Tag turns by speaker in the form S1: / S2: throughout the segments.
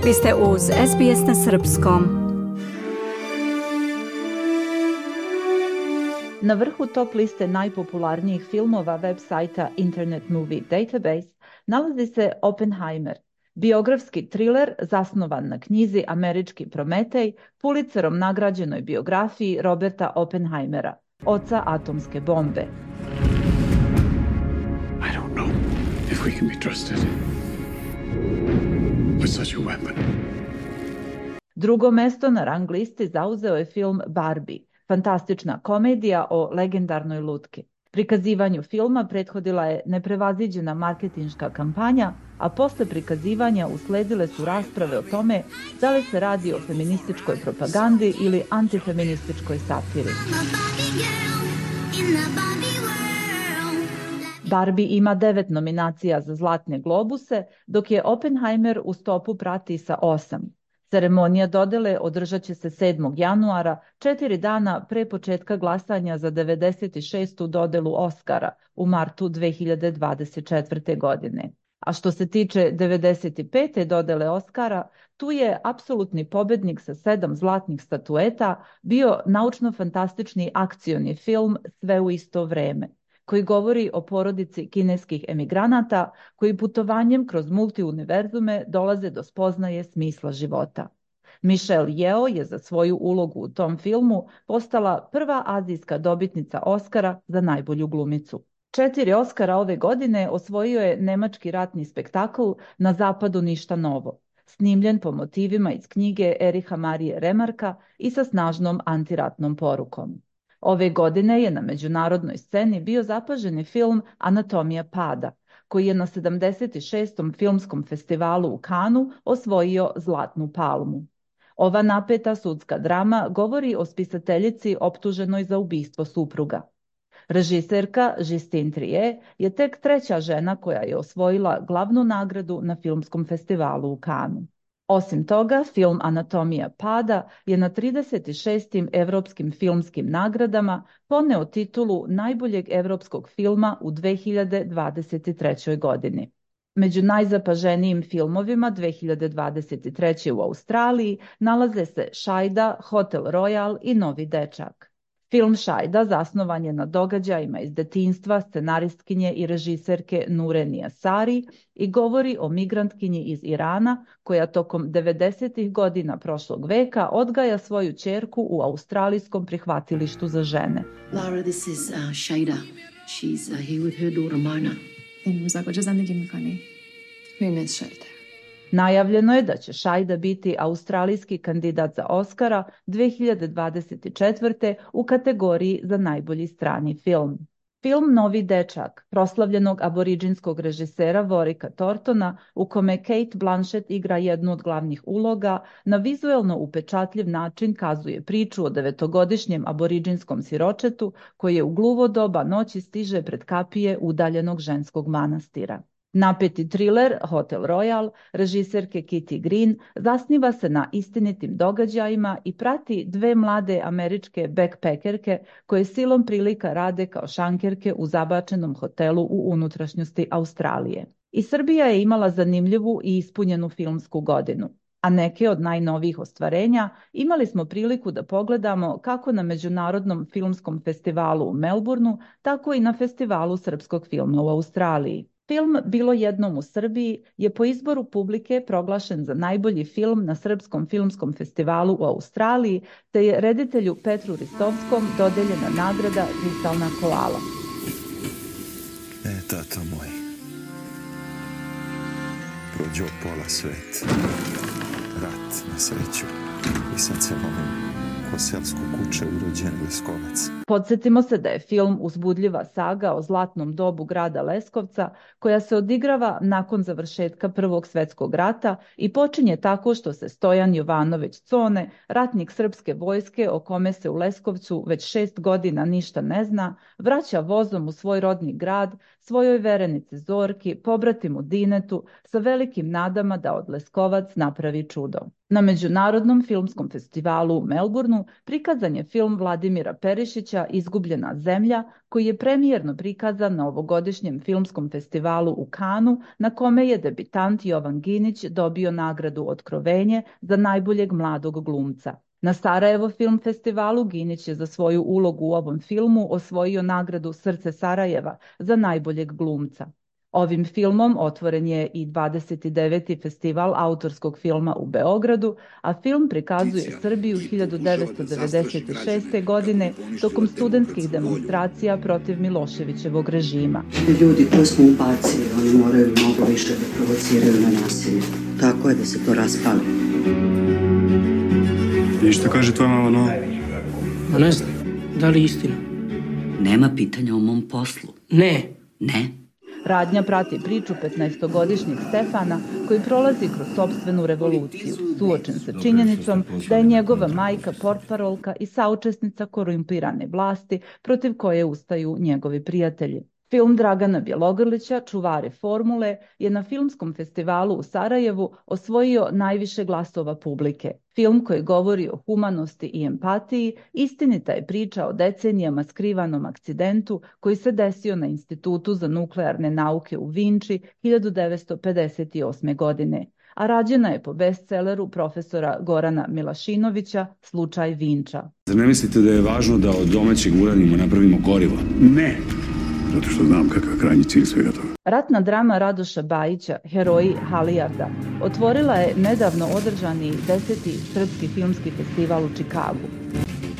S1: Vi ste uz SBS na Srpskom.
S2: Na vrhu top liste najpopularnijih filmova web sajta Internet Movie Database nalazi se Oppenheimer, biografski triler zasnovan na knjizi Američki Prometej, Pulitzerom nagrađenoj biografiji Roberta Oppenheimera, oca atomske bombe.
S3: I don't know if we can be trusted with such a weapon.
S2: Drugo mesto na rang listi zauzeo je film Barbie, fantastična komedija o legendarnoj lutki. Prikazivanju filma prethodila je neprevaziđena marketinška kampanja, a posle prikazivanja usledile su rasprave o tome da li se radi o feminističkoj propagandi ili antifeminističkoj satiri. Barbie ima 9 nominacija za Zlatne globuse, dok je Oppenheimer u stopu prati sa 8. Ceremonija dodele održat će se 7. januara, 4 dana pre početka glasanja za 96. dodelu Oscara u martu 2024. godine. A što se tiče 95. dodele Oscara, tu je apsolutni pobednik sa 7 zlatnih statueta bio naučno-fantastični akcioni film Sve u isto vreme, koji govori o porodici kineskih emigranata koji putovanjem kroz multiuniverzume dolaze do spoznaje smisla života. Michelle Yeoh je za svoju ulogu u tom filmu postala prva azijska dobitnica Oscara za najbolju glumicu. 4 Oscara ove godine osvojio je nemački ratni spektakl Na zapadu ništa novo, snimljen po motivima iz knjige Ericha Marije Remarka i sa snažnom antiratnom porukom. Ove godine je na međunarodnoj sceni bio zapaženi film Anatomija pada, koji je na 76. filmskom festivalu u Cannesu osvojio Zlatnu palmu. Ova napeta sudska drama govori o spisateljici optuženoj za ubistvo supruga. Režiserka Justine Triet je tek 3. žena koja je osvojila glavnu nagradu na filmskom festivalu u Cannesu. Osim toga, film Anatomija pada je na 36. evropskim filmskim nagradama poneo titulu najboljeg evropskog filma u 2023. godini. Među najzapaženijim filmovima 2023. u Australiji nalaze se Šajda, Hotel Royal i Novi dečak. Film Šajda zasnovan je na događajima iz detinjstva scenaristkinje i režiserke Nurenija Sari i govori o migrantkinji iz Irana koja tokom 90. godina prošlog veka odgaja svoju ćerku u australijskom prihvatilištu za žene.
S4: Lara, this is Shayda. She's here with her daughter Mona.
S5: امروز کجا زندگی میکنی؟ میمیز شایده.
S2: Najavljeno je da će Šajda biti australijski kandidat za Oscara 2024. u kategoriji za najbolji strani film. Film Novi dečak, proslavljenog aboriđinskog režisera Vorika Tortona, u kome Kate Blanchett igra jednu od glavnih uloga, na vizuelno upečatljiv način kazuje priču o 9-godišnjem aboriđinskom siročetu koji je u gluvo doba noći stiže pred kapije udaljenog ženskog manastira. Napeti triler Hotel Royal režiserke Kitty Green zasniva se na istinitim događajima i prati 2 mlade američke backpackerke koje silom prilika rade kao šankerke u zabačenom hotelu u unutrašnjosti Australije. I Srbija je imala zanimljivu i ispunjenu filmsku godinu, a neke od najnovijih ostvarenja imali smo priliku da pogledamo kako na Međunarodnom filmskom festivalu u Melbourneu, tako i na Festivalu srpskog filma u Australiji. Film Bilo jednom u Srbiji je po izboru publike proglašen za najbolji film na Srpskom filmskom festivalu u Australiji, te je reditelju Petru Ristovskom dodeljena nagrada Kristalna koala.
S6: Tato moj, prođo pola svet, rat na sreću i sad se lomim ko selsko kuće urođen Leskovac.
S2: Podsjetimo se da je film uzbudljiva saga o zlatnom dobu grada Leskovca koja se odigrava nakon završetka Prvog svjetskog rata i počinje tako što se Stojan Jovanović Cone, ratnik srpske vojske o kome se u Leskovcu već 6 godina ništa ne zna, vraća vozom u svoj rodni grad, svojoj verenici Zorki, pobratimu Dinetu, sa velikim nadama da od Leskovac napravi čudo. Na Međunarodnom filmskom festivalu u Melbourneu prikazan je film Vladimira Perišića Milinovića Izgubljena zemlja, koji je premijerno prikazan na ovogodišnjem filmskom festivalu u Kanu, na kome je debitant Jovan Ginić dobio nagradu Otkrovenje za najboljeg mladog glumca. Na Sarajevo film festivalu Ginić je za svoju ulogu u ovom filmu osvojio nagradu Srce Sarajeva za najboljeg glumca. Ovim filmom otvoren je i 29. festival autorskog filma u Beogradu, a film prikazuje Srbiju 1996. godine tokom studentskih demonstracija protiv Miloševićevog režima.
S7: Ljudi koji smo ubacili, oni moraju mnogo više da provociraju na nasilje. Tako je da se to raspali.
S8: I što kaže tvoja mama novo?
S9: Ma ne znam, da li istina?
S7: Nema pitanja o mom poslu.
S9: Ne.
S7: Ne?
S2: Radnja prati priču 15-godišnjeg Stefana koji prolazi kroz sopstvenu revoluciju, suočen sa činjenicom da je njegova majka portparolka i saučesnica korumpirane vlasti protiv koje ustaju njegovi prijatelji. Film Dragana Bjelogrlića, Čuvari formule, je na filmskom festivalu u Sarajevu osvojio najviše glasova publike. Film koji govori o humanosti i empatiji, istinita je priča o decenijama skrivanom akcidentu koji se desio na Institutu za nuklearne nauke u Vinči 1958. godine, a rađena je po bestselleru profesora Gorana Milašinovića Slučaj Vinča.
S8: Zar ne mislite da je važno da od domaćeg uranijuma napravimo gorivo?
S3: Ne, zato što znam kakav je krajnji cilj svega toga.
S2: Ratna drama Radoša Bajića, Heroji Halijarda, otvorila je nedavno održani 10. srpski filmski festival u Čikagu.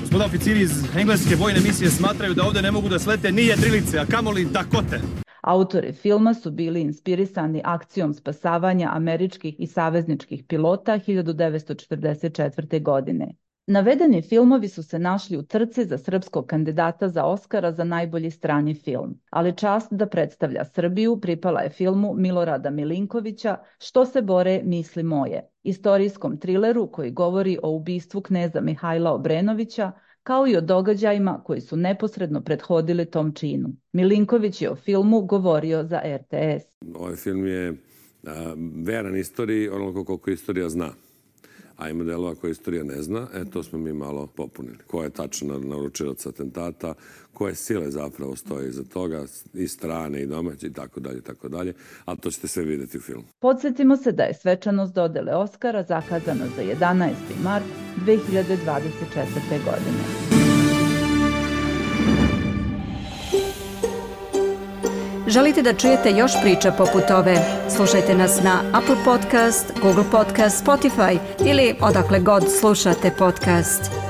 S10: Gospoda oficiri iz engleske vojne misije smatraju da ovde ne mogu da slete ni jedrilice, a kamoli Dakote.
S2: Autori filma su bili inspirisani akcijom spasavanja američkih i savezničkih pilota 1944. godine. Navedeni filmovi su se našli u trci za srpskog kandidata za Oskara za najbolji strani film, ali čast da predstavlja Srbiju pripala je filmu Milorada Milinkovića Što se bore misli moje, istorijskom trileru koji govori o ubistvu kneza Mihajla Obrenovića, kao i o događajima koji su neposredno prethodili tom činu. Milinković je o filmu govorio za RTS.
S11: Ovaj film je veran istoriji onoliko koliko istorija zna. A ima delova koje istorija ne zna, to smo mi malo popunili. Ko je tačno naručilac atentata, koje sile zapravo stoje iza toga, i strane i domaće i tako dalje, ali to ćete sve vidjeti u filmu.
S2: Podsjetimo se da je svečanost dodele Oskara zakazana za 11. mart 2024. godine.
S1: Želite da čujete još priča poput ove? Slušajte nas na Apple Podcast, Google Podcast, Spotify ili odakle god slušate podcast.